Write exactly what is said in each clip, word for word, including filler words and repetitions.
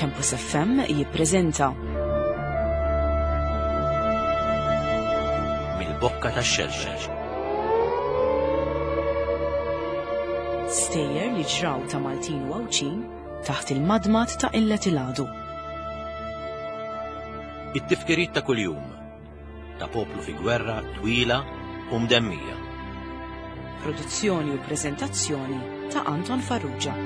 Campus F M jippreżenta Mill-Bokka tax-Xelxel. Stejjer li ġraw ta' Maltin u Għawdxin taħt il-madmad ta' Illet il-Għadu. It-tifkiriet ta' kuljum ta' poplu fi gwerra twila u mdemmija. Produzzjoni u preżentazzjoni ta' Anton Farrugia.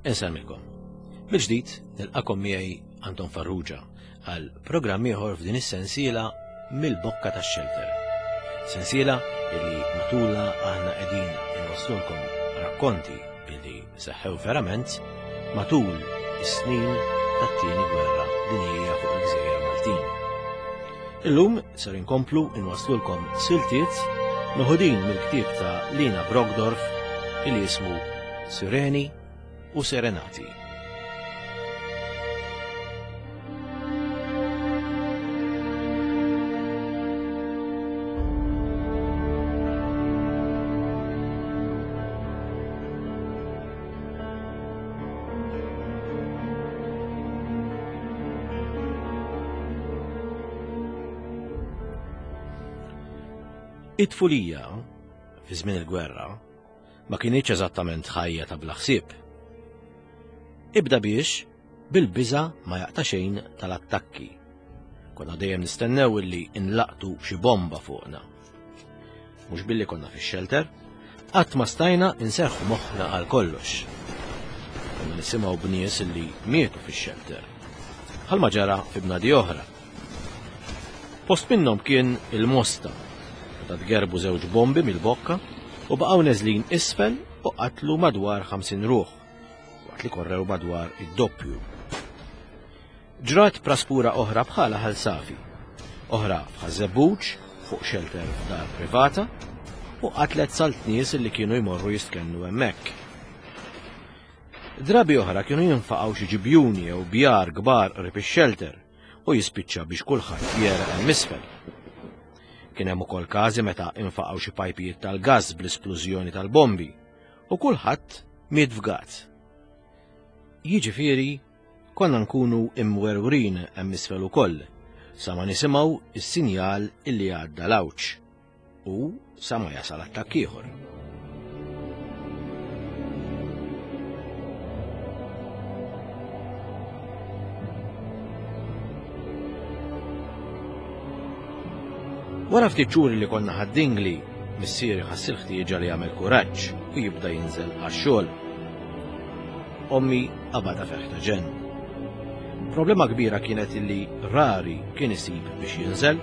Insellmilkom. Mill-ġdid nilqakom miegħi Anton Farrugia għal programm ieħor f'din is-sensiela Mill-Bokka tax-Xelter. Sensiela illi matula aħna qegħdin inwasslulkom rakkonti illi seħħew verament matul is-snin tat-tieni gwerra dinjija fuq il-Gżejjer Maltin. Illum ser inkomplu inwasslulkom siltiet meħudin mill-ktieb ta' Lina Brockdorff illi jismu Sireni u Serenati. It-tfulija, fi żmien il-gwerra, ma kinitx eżattament ħajja ta' bla ħsieb. Ibda biex bil-biża ma jaqta' xejn tal-attakki. Konna dejjem nistennew illi inlaqtu xi bomba fuqna. Mhux billi konna fix-xelter, qatt ma stajna inserħu moħħna għal kollox. Konna nisimgħu b'nies illi mietu fix-xelter. Bħalma ġara fi bnadi oħra. Post minnhom kien il-Mosta, meta tgerbu żewġ bombi mill-bokka u baqgħu neżlin isfel u qatlu madwar ħamsin ruħ, waqt li korrew madwar id-doppju. Ġrat praspura oħra bħala Ħal Safi, oħra f'Ħaż-Żebbuġ fuq xelter f'dar privata u qatlet salt nies li kienu jmorru jistkennu hemmhekk. Drabi oħra kienu jinfaqgħu xi ġibjuni jew bjar kbar qrib ix-xelter u jispiċċa biex kulħadd jera hemm isfel. Kien hemm ukoll każi meta infaqgħu xi pajpijiet tal-gass bl-isplużjoni tal-bombi u kulħadd miet fgat. Jiġifieri konna nkunu imwerwrin hemm isfel ukoll sa ma nisimgħu is-sinjal illi għadda l-għawġ u sa ma jasal attakk ieħor. Wara ftit xhur li konna Ħad-Dingli, missieri ħass il-ħtieġa li jagħmel kuraġġ u jibda jinżel għax-xogħol. Ommi qabadha ferħ ta' ġenn. Problema kbira kienet illi rari kien isib biex jinżel.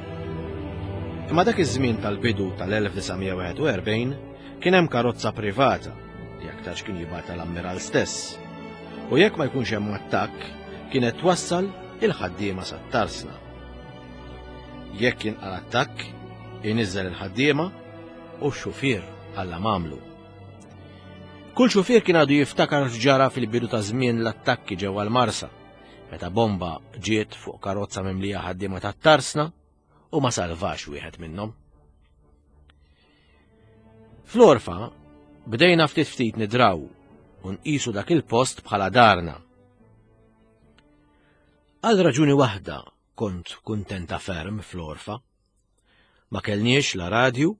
Imma dak iż-żmien tal-bidu tal-elf disa' mija wieħed u erbgħin Kien hemm karozza privata li aktarx kien jibgħatha l-ammiral stess. U jekk ma jkunx hemm attakk, kienet twassal il-ħaddiema sat-tarsna. Jekk jinqal attakk, iniżżel il-ħaddiema u x-xufier Alla m'għamlu. Kull xufier kien għadu jiftakar x'ġara fil-bidu ta' żmien l-attakki ġewwa l-Marsa, meta bomba ġiet fuq karozza mimlija ħaddiema tat-tarsna u ma salvax wieħed minnhom. Fl-Orfa bdejna ftit ftit nidraw u nqisu dak il-post bħala darna. Għal raġuni waħda kont kuntenta ferm fl-Orfa. Ma kellniex la radju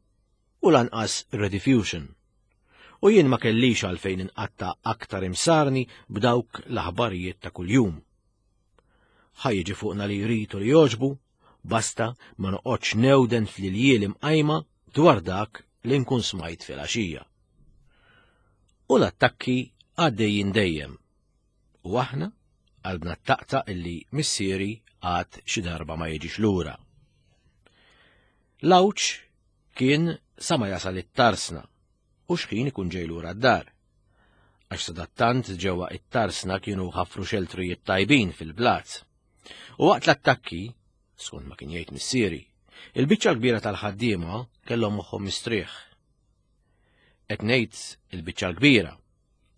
u lanqas Rediffusion. U jien ma kellix għalfejn inqatta aktar imsarni b'dawk l-aħbarijiet ta' kuljum. Ħa jiġi fuqna li jrid u li jogħġbu, basta ma noqgħodx newden fl-iljieli mqajma dwar dak li nkun smajt fil-għaxija. U l-attakki għaddejjin dejjem. U aħna qalbna taqta' illi missieri għad xi darba ma jiġix lura. L-għawġ kien sa ma jasal it-tarsna u x'ħin ikun ġej lura d-dar. Għax sadattant ġewwa it-tarsna kienu ħafru xeltrijiet tajbin fil-blat. U waqt l-attakki, skont ma kien jgħid missieri, il-biċċa l-kbira tal-ħaddiema kellhom moħħhom mistrieħ. Qed ngħid il-biċċa l-kbira,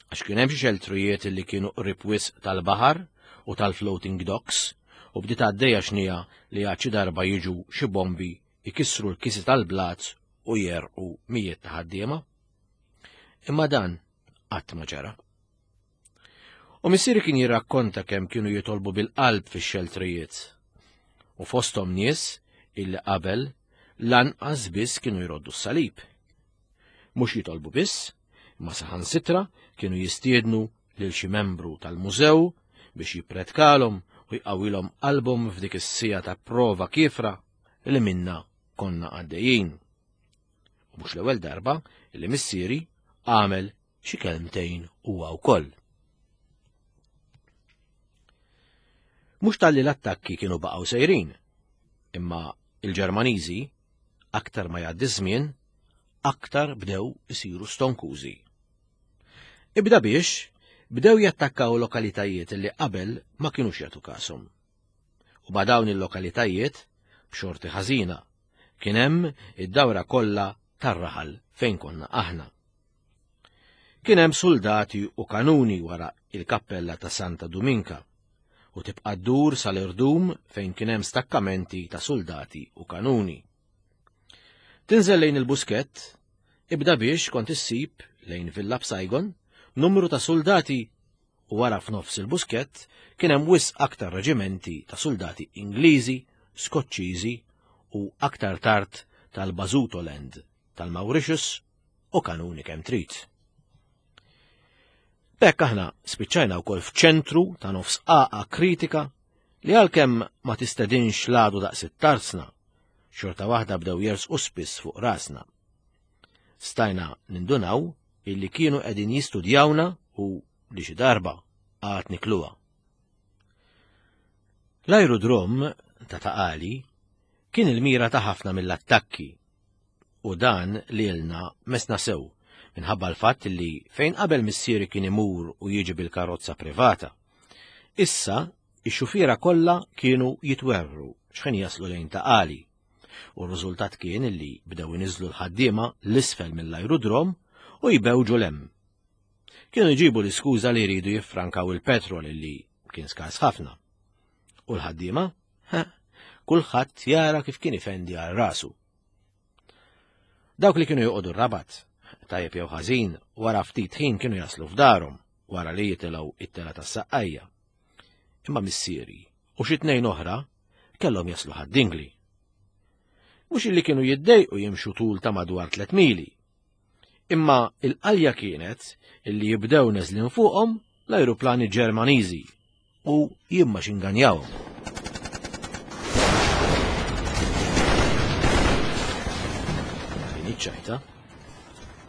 għax kien hemm xi xeltrijiet li kienu qrib wisq tal-baħar u tal-floating docks u bdiet għaddejja xnija li għad xi darba jiġu xi bombi jkissru l-kisi tal-blat u jerqu mijiet ta' ħaddiema. Imma dan qatt ma ġara. U missieri kien jirrakkonta kemm kienu jitolbu bil-qalb fix-xeltrijiet. U fosthom nies illi qabel lanqas biss kienu jroddu s-salib. Mhux jitolbu biss, imma saħansitra kienu jistiednu lil xi membru tal-mużew biex jippretkalhom u jqawwilhom qalbhom f'dik is-sija ta' prova kiefra li minna konna għaddejjin. U mhux l-ewwel darba li missieri għamel xi kelmtejn huwa wkoll. Mhux talli l-attakki kienu baqgħu sejrin, imma il-Ġermaniżi aktar ma jgħaddi żmien, aktar bdew isiru stonkużi. Ibda biex bdew jattakkaw lokalitajiet li qabel ma kinux jagħtu kashom. U ma' dawn il-lokalitajiet, b'xorti ħażina, kien hemm id-dawra kollha tar-raħal fejn konna aħna. Kien hemm soldati u kanuni wara il-kappella ta' Santa Duminka u tibqa' ddur sal-irdum fejn kien hemm stakkamenti ta' soldati u kanuni. Tinżel lejn il-Buskett, ibda biex kont issib lejn Villa B'Saigon numru ta' soldati u wara f'nofs il-Buskett kien hemm wisq aktar reġimenti ta' soldati Ingliżi, Skoċċiżi u aktar tard tal-Basutoland, tal-Mauritius u kanuni kemm trid. B'hekk aħna spiċċajna wkoll f'ċentru ta' nofs għaqa kritika li għalkemm ma tistedinx l-għadu daqs it-tarsna, xorta waħda bdew jersqu spiss fuq rasna. Stajna nindunaw illi kienu qegħdin jistudjawna u li xi darba għad nikluha. L-aerodrom ta' Taqali kien il-mira ta' ħafna mill-attakki u dan li ilna mesna sew minħabba l-fatt li fejn qabel missieri kien imur u jiġi bil-karozza privata. Issa ix-xufiera kollha kienu jitwerru x'ħin jaslu lejn Taqali u r-riżultat kien li bdew iniżlu l-ħaddiema l-isfel mill-aerodrom u jbewġu l-hemm. Kienu jġibu l-iskuża li jridu jiffrankaw il-petrol li kien skars ħafna. U l-ħaddiema? Ha, kulħadd jara kif kien ifendi għal rasu. Dawk li kienu joqogħdu r-Rabat, tajjeb jew ħażin, wara ftit ħin kienu jaslu f'darhom wara li jitilgħu it-tela tas-saqqajja. Imma missieri u xi tnejn oħra kellhom jaslu Ħad-Dingli. Mhux illi kienu jiddejqu jimxu tul ta' madwar tliet mili. Imma il-qalja kienet illi jibdew neżlin fuqhom l-ajruplani Ġermaniżi u jimma xinganjawhom. Din iċ-ċajta.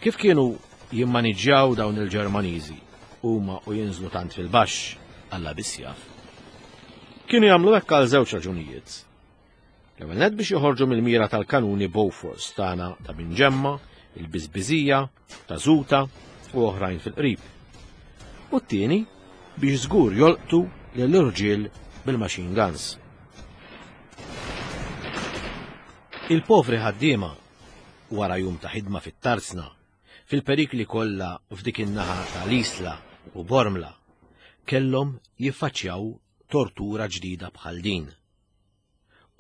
Kif kienu jimmaniġġjaw dawn il-Ġermaniżi huma u jinżlu tant fil-baxx, Alla biss jaf. Kienu jagħmlu hekk għal żewġ raġunijiet. L-ewwel nett biex joħorġu mill-mira tal-kanuni Bofors tagħna ta' Binġemma il-Biżbiżija, ta' Żuta u oħrajn fil-qrib. U t-tieni biex żgur jolqtu lill-irġiel bil-machine guns. Il-povri ħaddiema wara jum ta' ħidma fit-tarzna, fil-perikli kollha f'dik in-naħa tal-Isla u Bormla, kellhom jiffaċċjaw tortura ġdida bħal din.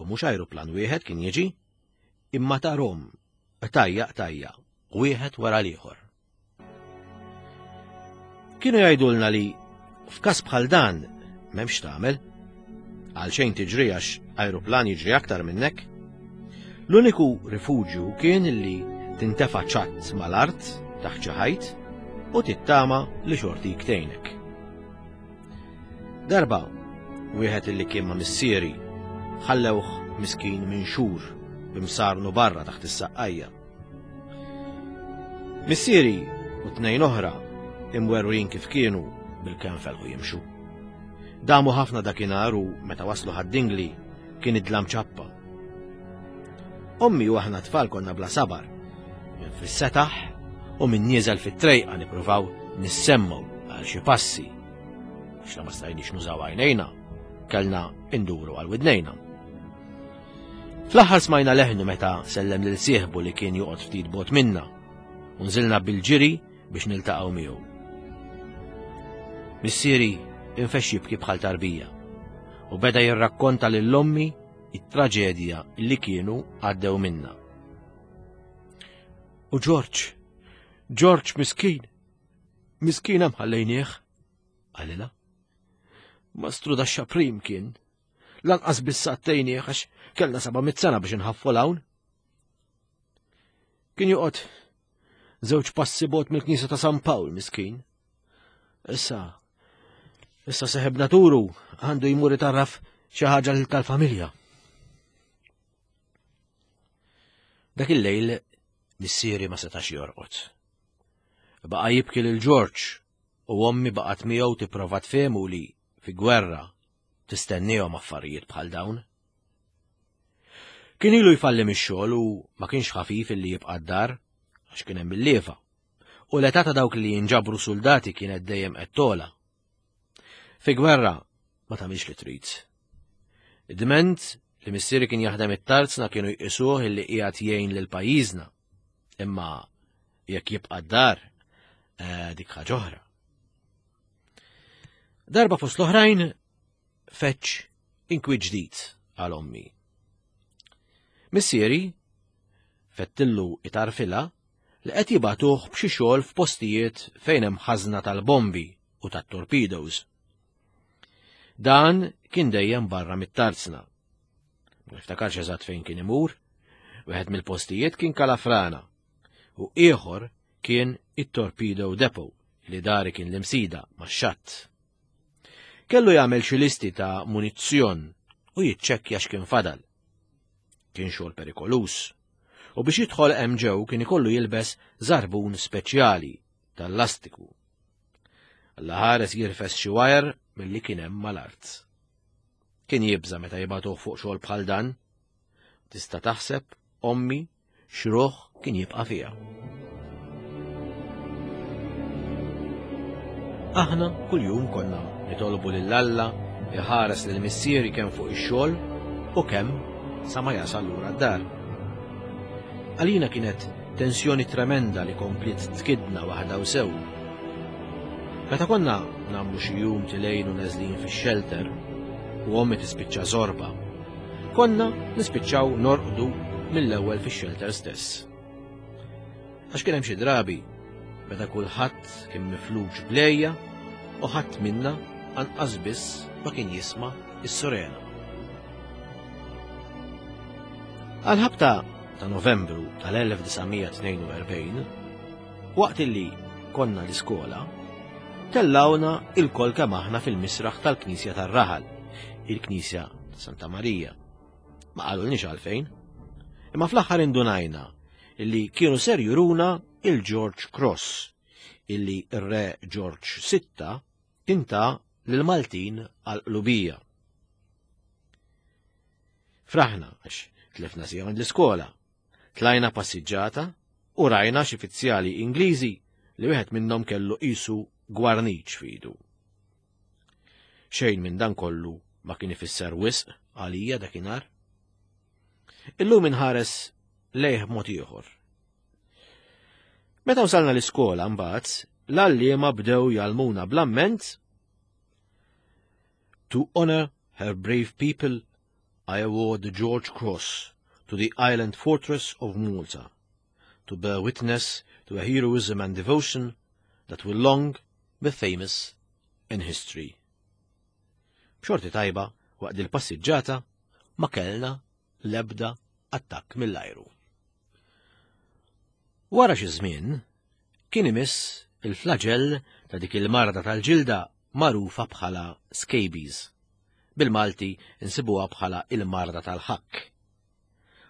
U mhux ajruplan wieħed kien jiġi, imma tarhom tajja tajja, wieħed wara l-ieħor. Kienu jgħidulna li f'każ bħal dan m'hemmx tagħmel, għalxejn tiġri għax ajruplan jiġri aktar minnek. L-uniku rifuġju kien li tintefa' ċatt mal-art taħt xi ħajt u tittama li xortik tgħinek. Darba, wieħed illi kien ma' missieri ħallewh miskin minn xhur b'imsarnu barra taħt is-saqqajja. Missieri u tnejn oħra imwerwrin kif kienu bil-kemm felħu jimxu. Damu ħafna dakinhar u meta waslu Ħad-Dingli kien id-dlam ċappa. Ommi u aħna tfal konna bla sabar, minn fis-setaħ u minn nieżel fit-trejqa nippruvaw nissemmu għal xi passi. Għax la ma stajniex nużaw għajnejna, kellna induru għal widnejna. Fl-aħħar smajna leħnu meta sellem lil sieħbu li kien joqgħod ftit bot minna u nżilna bil-ġiri biex niltaqgħu miegħu. Missieri infexx jibki bħal tarbija u beda jirrakkonta lil ommi it-traġedja li kienu għaddew minna. U Ġorġ, Ġorġ miskin, miskin hemm ħallejnieh, qalilha. Mastru da xaprim kien, lanqas biss għattejnieh għax kellna seba' mitt sena biex inħaffu l-hawn. Kien joqgħod żewġ passi bot mill-Knisja ta' San Pawl miskin. Issa, issa seħeb naturu għandu jmur itarraf xi ħaġa tal-familja. Dak il-lejl missieri ma setax jorqod. Baqa' jibki lil Ġorġ u ommi baqgħet miegħu tipprova tfehmu li fi gwerra tistennihom affarijiet bħal dawn. Kien ilu jfalli mix-xogħol u ma kienx ħafif illi jibqa' d-dar għax kien hemm il-lieva. U l-età ta' dawk li jinġabru soldati kienet dejjem qed togħla. Fi gwerra ma tagħmilx li trid. Id-dment li missieri kien jaħdem it-tarzna kienu jqisuh illi qiegħed jgħin lil pajjiżna. Imma jekk jibqa' d-dar, eh, dik ħaġa oħra. Darba fost l-oħrajn feċ inkwi ġdid għal ommi. Missieri fettillu itarfila li qed jibgħatuh b'xi xogħol f'postijiet fejn hemm ħażna tal-bombi u tat-torpedoes. Dan kien dejjem barra mit-tarzna. Ma niftakarx eżatt fejn kien imur, wieħed mill-postijiet kien Kalafrana u ieħor kien it-Torpedo Depot li dari kien l-imsida max-xatt. Kellu jagħmel xi listi ta' munizzjon u jiċċekkja x'kien fadal. Kien xogħol perikolus u biex jidħol hemm ġew kien ikollu jilbes żarbun speċjali tal-lastiku. Alla ħares jirfes xi wajer milli kien hemm mal-art. Kien jibża' meta jibgħatuh fuq xogħol bħal dan. Tista' taħseb ommi x'ruħ kien jibqa' fiha. Aħna kuljum konna nitolbu lil Alla iħares lil missieri kemm fuq ix-xogħol u kemm sa ma jasal lura d-dar. Għalina kienet tensjoni tremenda li kompliet tkidna waħda u sew. Meta konna nagħmlu xi jum tilejn u neżlin fix-shelter u ommi tispiċċa zorba, konna nispiċċaw norqdu mill-ewwel fix-shelter stess. Għax kien hemm xi drabi meta kulħadd kien mifluġ blejja u ħadd minna anqas biss ma kien jisma' s-surena. Għal-ħabta ta' Novembru tal-elf disa' mija tnejn u erbgħin, waqt illi konna l-iskola, tellawna il-kol kemm aħna fil-misraħ tal-Knisja tar-Raħal, il-Knisja ta' Santa Marija. Ma qalulniex għalfejn, imma fl-aħħar indunajna illi kienu ser juruna il-George Cross, illi r-re George sitta kien ta lil-Maltin għal-qlubija. Fraħna għax tlifna sija minn l-iskola, tlajna passiġġata U rajna xi fizzjali Ingliżi li wieħed minnhom kellu qisu gwarniċ f'idu. Xejn minn dan kollu ma kien ifisser wisq għalija dakinhar. Illum inħares lejh mod ieħor. Meta wasalna l-iskola mbagħad, l-għalliema bdew jgħallmuna bl-amment To honor her brave people, I award the George Cross to the island fortress of Malta, to bear witness to a heroism and devotion that will long be famous in history. B'xorti tajba, waqt il-passiġġata, ma kellna l-ebda attakk mill-ajru. Wara xi żmien, kien imiss il-flagell ta' dik il-marda tal-ġilda magħrufa bħala scabies. Bil-Malti insibuha bħala il-marda tal-ħakk.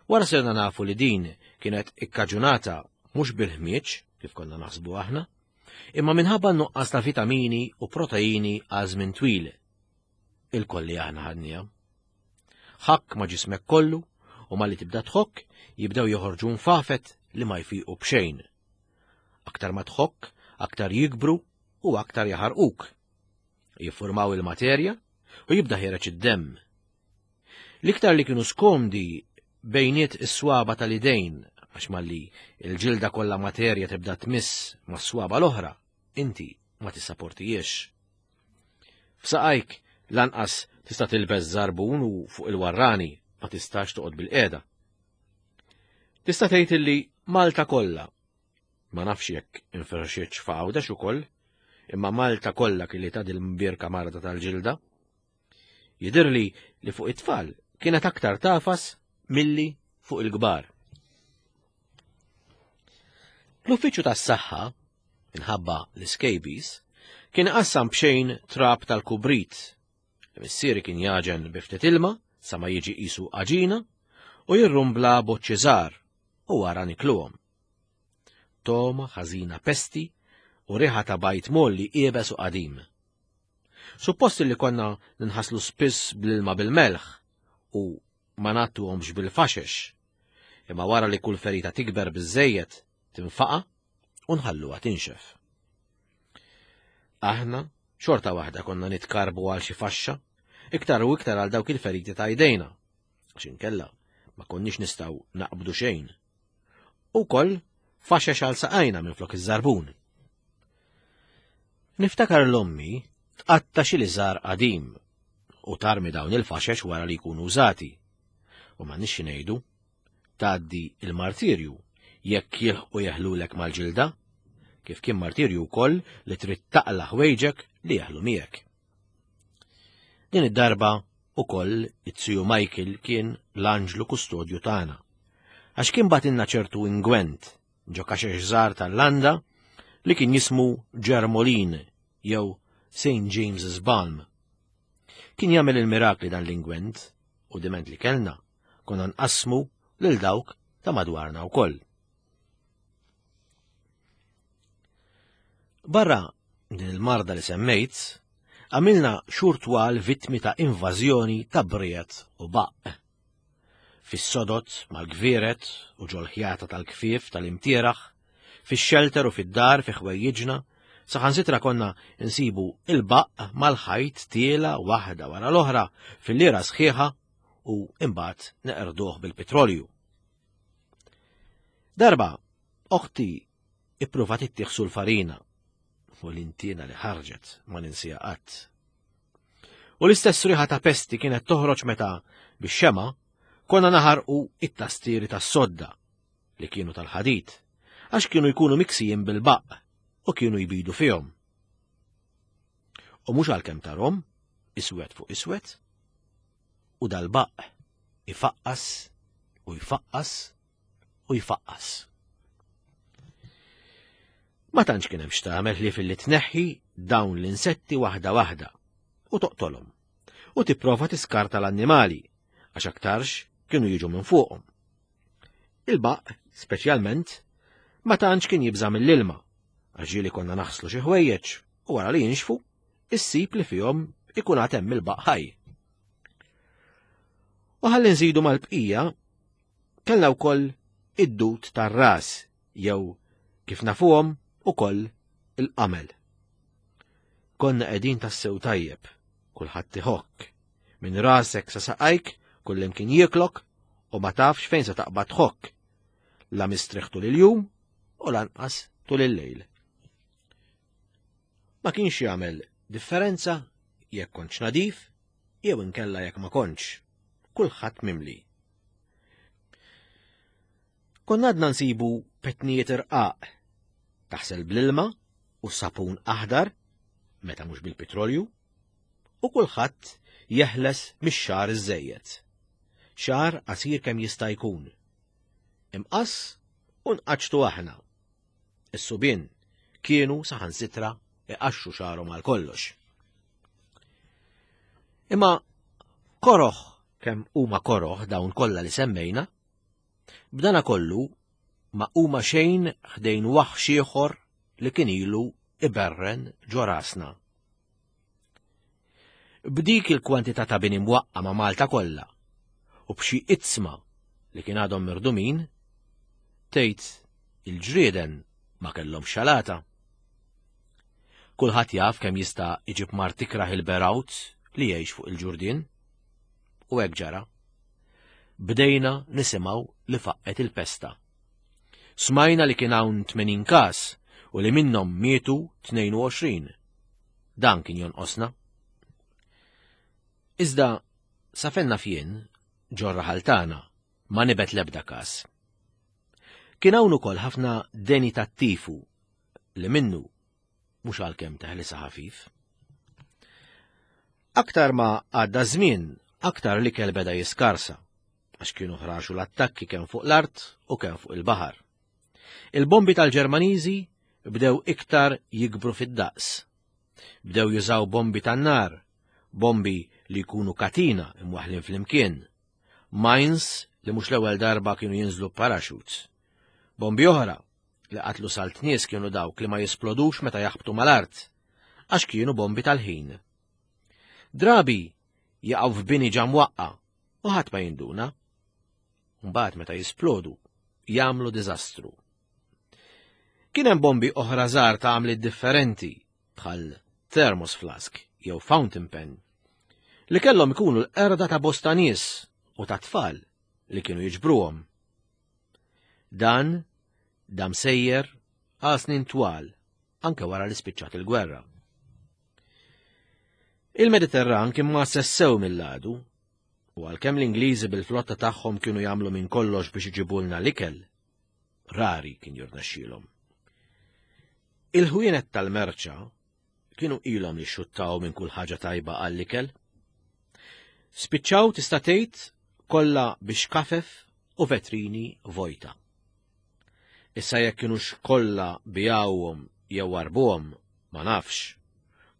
Wara sirna nafu li din kienet ikkaġunata mhux bil-ħmieġ, kif konna naħsbu aħna, imma minħabba nuqqas ta' vitamini u proteini għal żmien twil. Ilkoll li aħna ħadniha. Ħakk ma' ġismek kollu u malli tibda tħokk jibdew joħorġu nfafet li ma jfiqu b'xejn. Aktar ma tħokk, aktar jikbru u aktar jaħarquk. Jiffurmaw il-materja u jibda ħiereġ id-demm. L-iktar li kienu skomdi bejniet is-swaba tal-idejn, għax malli il-ġilda kollha materja tibda tmiss mas-swaba l-oħra, inti ma tissaportijiex. F'saqajk lanqas tista' tilbes żarbun u fuq il-warrani ma tistax toqgħod bil-qiegħda. Tista' tgħid illi Malta kollha, ma nafx jekk infirxitx f'Għawdex ukoll, imma Malta kollha kelli ta' dil-mbierka marda tal-ġilda. Jidhirli li fuq it-tfal kienet aktar tagħfas milli fuq il-kbar. L-uffiċċju tas-saħħa, minħabba l-scabies, kien qassam b'xejn trab tal-kubrit. Missieri kien jagħġen bi ftit ilma sa ma jiġi qisu għaġina u jirrumbla boċċi żgħar u wara nikluhom. Togħma ħażina pesti u riħa ta' bajd mgħolli iebes u qadim. Suppost li konna ninħaslu spiss bl-ilma bil-melħ u ma ngħattuhomx bil-faxex, imma wara li kull ferita tikber biżejjed tinfaqa u nħalluha tinxef. Aħna xorta waħda konna nitkarbu għal xi faxxa, iktar u iktar għal dawk il-feriti ta' jdejna, għax inkella ma konniex nistgħu naqbdu xejn. U koll faxex għal saqajna minn flok iż-żarbun. Niftakar l-ommi tqatta' xi liżar qadim u tarmi dawn il-faxex wara li jkunu użati. U ma nix ngħidu, tgħaddi il-martirju jekk jilħqu jeħlulek mal-ġilda, kif kien martirju wkoll li trid taqla' ħwejġek li jeħlu miegħek. Din id-darba ukoll it-tiju Michael kien l-anġlu kustodju tagħna, għax kien bagħtilna ċertu ingwent ġo kaxex żgħar tal-landa li kien jismu Ġermolin jew Saint James's Balm. Kien jagħmel il-mirakli dan l-ingwent u diment li kellna konna nqassmu lil dawk ta' madwarna wkoll. Barra din il-marda li semmejt, għamilna xhur twal vittmi ta' invażjoni ta' briet u baqq. Fis-sodot mal-gvieret u ġol-ħjata tal-kfief tal-imtieraħ, fix-xelter u fid-dar fi ħwejjiġna, saħansitra konna nsibu il-baqq mal-ħajt tiela waħda wara l-oħra fil-lira sħiħa u imbagħad neqerduh bil-petrolju. Darba, oħti ippruvat ittieħ l-farina u l-intina li ħarġet ma ninsija qatt. U l-istess riħa ta' pesti kienet toħroġ meta bix-xema konna naħarqu it-tastieri tas-sodda li kienu tal-ħadid, għax kienu jkunu miksijin bil-baqq u kienu jbidu fihom. U mhux għalkemm tarhom, iswed fuq iswed, u dal-baqq ifaqqas u jfaqqas u jfaqqas. Ma tantx kien hemm x'tagħmel li filli tneħħi dawn l-insetti waħda waħda u toqtolhom u tipprova tiskarta l-annimali għax aktarx kienu jiġu minn fuqhom. Il-baqq, speċjalment, ma tantx kien jibża' mill-ilma għax ġieli konna naħslu xi ħwejjeġ u wara li jinxfu, issib li fihom ikun għad hemm il-baqq ħaj. U ħalli nżidu mal-bqija, kellna wkoll id-dud tar-ras Jew kif nafuhom ukoll il-qamel. Konna qegħdin tassew tajjeb, kulħadd iħokk. Minn rasek sa saqajk, kullimkien jieklok u ma tafx fejn se taqbad tħokk. La mistrieħ tul il-jum u lanqas tul il-lejl. Ma kienx jagħmel differenza jekk kontx nadif jew inkella jekk ma kontx. Kulħadd mimli. Konna għadna nsibu petnijiet irqaq, taħsel bl-ilma u sapun aħdar, meta mhux bil-petrolju, u kulħadd jeħles mix-xagħar iżżejjed. Xagħar qasir kemm jista' jkun. Imqass u nqaċċtu aħna. Is-subien kienu saħansitra iqaxxu xagħarhom għal kollox. Imma koroħ kemm huma koroħ dawn kollha li semmejna, b'dana kollu ma huma xejn ħdejn waħx ieħor li kien ilu iberren ġo rasna. B'dik il-kwantità ta' bini mwaqqa ma' Malta kollha u b'xi itzma li kien għadhom mirdumin, tgħid il-ġrieden ma kellhom xalata. Kulħadd jaf kemm jista' iġib mard ikrah il-berawt li jgħix fuq il-ġurdien. U hekk ġara. Bdejna nisimgħu li faqqet il-pesta. Smajna li kien hawn tmenin każ u li minnhom mietu tnejn u għoxrin. Dan kien jonqosna. Iżda sa fejn naf jien ġo r-raħal tagħna ma nibet l-ebda każ. Kien hawn ukoll ħafna deni tat-tifu li minnu mhux għalkemm teħlisa ħafif. Aktar ma għadda żmien, aktar l-ikel beda jiskarsa, għax kienu ħraxu l-attakki kemm fuq l-art u kemm fuq il-baħar. Il-bombi tal-Ġermaniżi bdew iktar jikbru fid-daqs. Bdew jużaw bombi tan-nar, bombi li jkunu katina imwaħlin flimkien, mines li mhux l-ewwel darba kienu jinżlu parachutes. Bombi oħra li qatlu salt nies kienu dawk li ma jisplodux meta jaħbtu mal-art, għax kienu bombi tal-ħin. Drabi jaqgħu f'bini ġa mwaqqa u ħadd ma jinduna. Mbagħad meta jisplodu jagħmlu diżastru. Kien hemm bombi oħra żgħar ta' għamliet differenti bħal thermos flask jew fountain pen li kellhom ikunu l-qerda ta' bosta nies u ta' tfal li kienu jiġbruhom. Dan dam sejjer għal snin twal anke wara li spiċċat il-gwerra. Il-Mediterran kien ma sessew mill-għadu, u għalkemm l-Ingliżi bil-flotta tagħhom kienu jagħmlu minn kollox biex iġibulna l-ikel, rari kien jirnexxielhom. Il-ħwienet tal-merċa kienu ilhom li xuttaw minn kull ħaġa tajba għall-ikel. Spiċċaw tista' tgħid kollha biex kafef u vetrini vojta. Issa jekk kienux kollha bijawhom jew warbuhom ma nafx.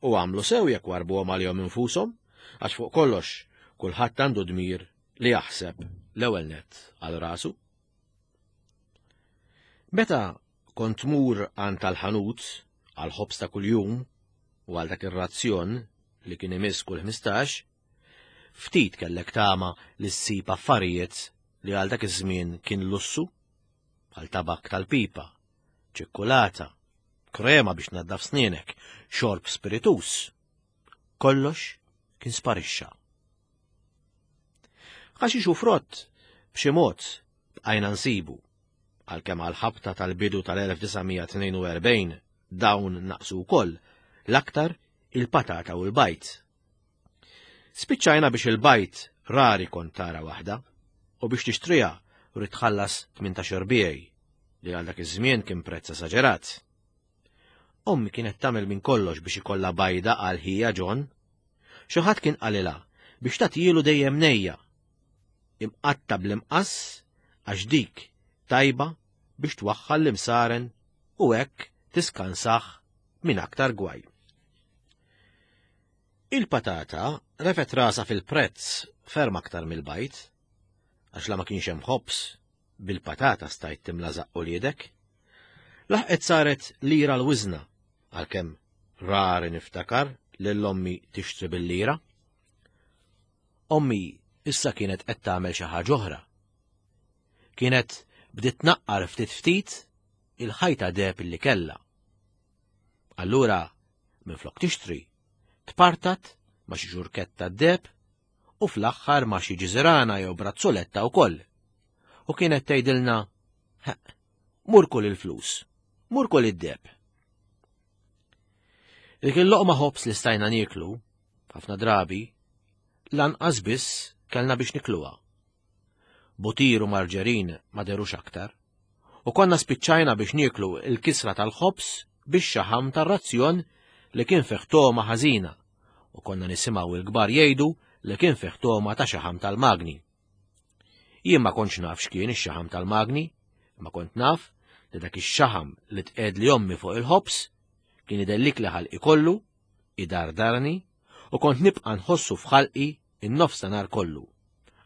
U għamlu sew jekk warbuhom għalihom infushom, għax fuq kollox kulħadd għandu dmir li jaħseb l-ewwel nett għal rasu. Meta kont tmur għand tal-ħanut għal ħobż ta' kuljum u għal dak ir-razzjon li kien imiss kull ħmistax, ftit kellek tama li ssib affarijiet li għal dak iż-żmien kien lussu, bħal tabak tal-pipa, ċikkulata, krema biex naddaf snienek, xorb spiritus. Kollox kien sparixxa. Ħaxix u frott b'xi mod bqajna nsibu, għalkemm għall-ħabta tal-bidu tal-elf disa' mija tnejn u erbgħin dawn naqsu wkoll, l-aktar il-patata u l-bajt. Spiċċajna biex il-bajt rari kont tara waħda, u biex tixtriha rrid tħallas tmintax erbijaj, li għal dak iż-żmien kien prezz esaġerat. Ommi kienet tagħmel minn kollox biex ikollha bajda għal ħija John. Xi ħadd kien qalilha biex tagħtilu dejjem nejja. Imqatta bl-imqass għax dik tajba biex twaħħal l-imsaren u hekk tiskansaħ minn aktar gwaj. Il-patata refet rasa fil-prezz ferm aktar mill-bajt, għax la ma kienx hemm ħobż, bil-patata stajt timla żaqq uliedek. Laħqet saret lira l-wiżna, għalkemm rari niftakar lil ommi tixtri bil-lira. Ommi issa kienet qed tagħmel xi ħaġa oħra. Kienet bdiet tnaqqar ftit ftit il-ħajta deheb li kellha. Allura, minflok tixtri, tpartat ma' xi ġurketta deheb u fl-aħħar ma' xi ġiżirana jew brazzoletta wkoll. U kienet tgħidilna, mur kull il-flus, mur kull id-deheb. Dik il-loqma ħobż li stajna nieklu, ħafna drabi, lanqas biss kellna biex nikluha. Butir u marġerin ma derux aktar, u konna spiċċajna biex nieklu il-kisra tal-ħobż biex xaħam tar-razzjon li kien fih togħma ħażina, u konna nisimgħu il-kbar jgħidu li kien fih togħma ta' xaħam tal-magni. Jien ma kontx naf x'kien ix-xaħam tal-magni, ma kont naf li dak ix-xaħam li tqegħed li ommi fuq il-ħobż kien idellik li ħalqi kollu, idardarni, u kont nibqa' nħossu f'ħalqi in-nofs ta' nhar kollu,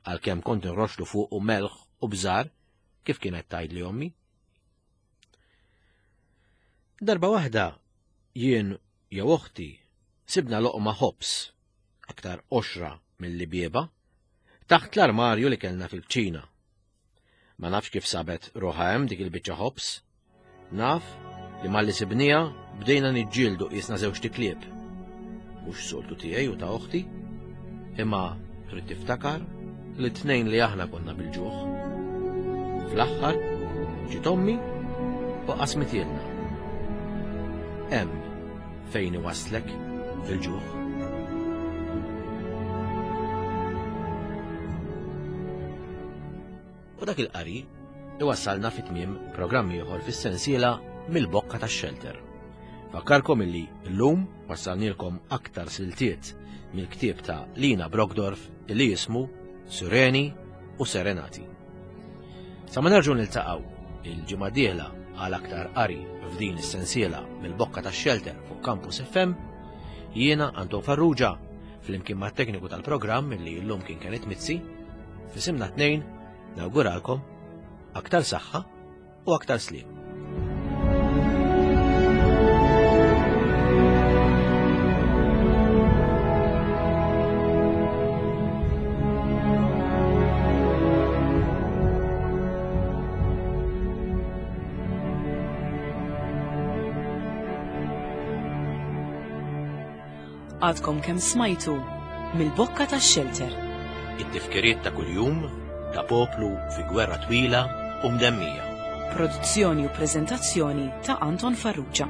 għalkemm kont nroxlu fuqu melħ u bżar kif kienet tgħidli ommi. Darba waħda jien jew oħti sibna loqma ħobż, aktar qoxra milli bieba, taħt l-armarju li kellna fil-kċina. Ma nafx kif sabet ruħha hemm dik il-biċċa ħobż, naf li malli sibnija bdejna niġġieldu qisna żewġt iklieb. Mhux soltu tiegħi u ta' oħti, imma trid tiftakar li t-tnejn li aħna konna bil-ġuħ. Fl-aħħar ġiet ommi u qasmitielna. Hemm fejn iwasslek il-ġuħ. U dak il-qari iwassalna fi tmiem programm ieħor fis-sensiela mill-bokka tax-xelter. Fakkarkom illi llum wassalnilkom aktar siltiet mill-ktieb ta' Lina Brockdorff illi jismu Sireni u Serenati. Sa ma nerġgħu niltaqgħu il-ġimgħa d-dieħla għal aktar qari f'din is-sensiela mill-bokka tax-xelter fuq Campus F M, jiena Anton Farrugia flimkien mat-tekniku tal-programm illi llum kien Kenneth Mizzi, f'isimna tnejn nawguralkom aktar saħħa u aktar sliem. Għadkom kemm smajtu mill-bokka tax-xelter. It-tifkiriet ta' kuljum ta' poplu fi gwerra twila u mdemmija. Produzzjoni u preżentazzjoni ta' Anton Farrugia.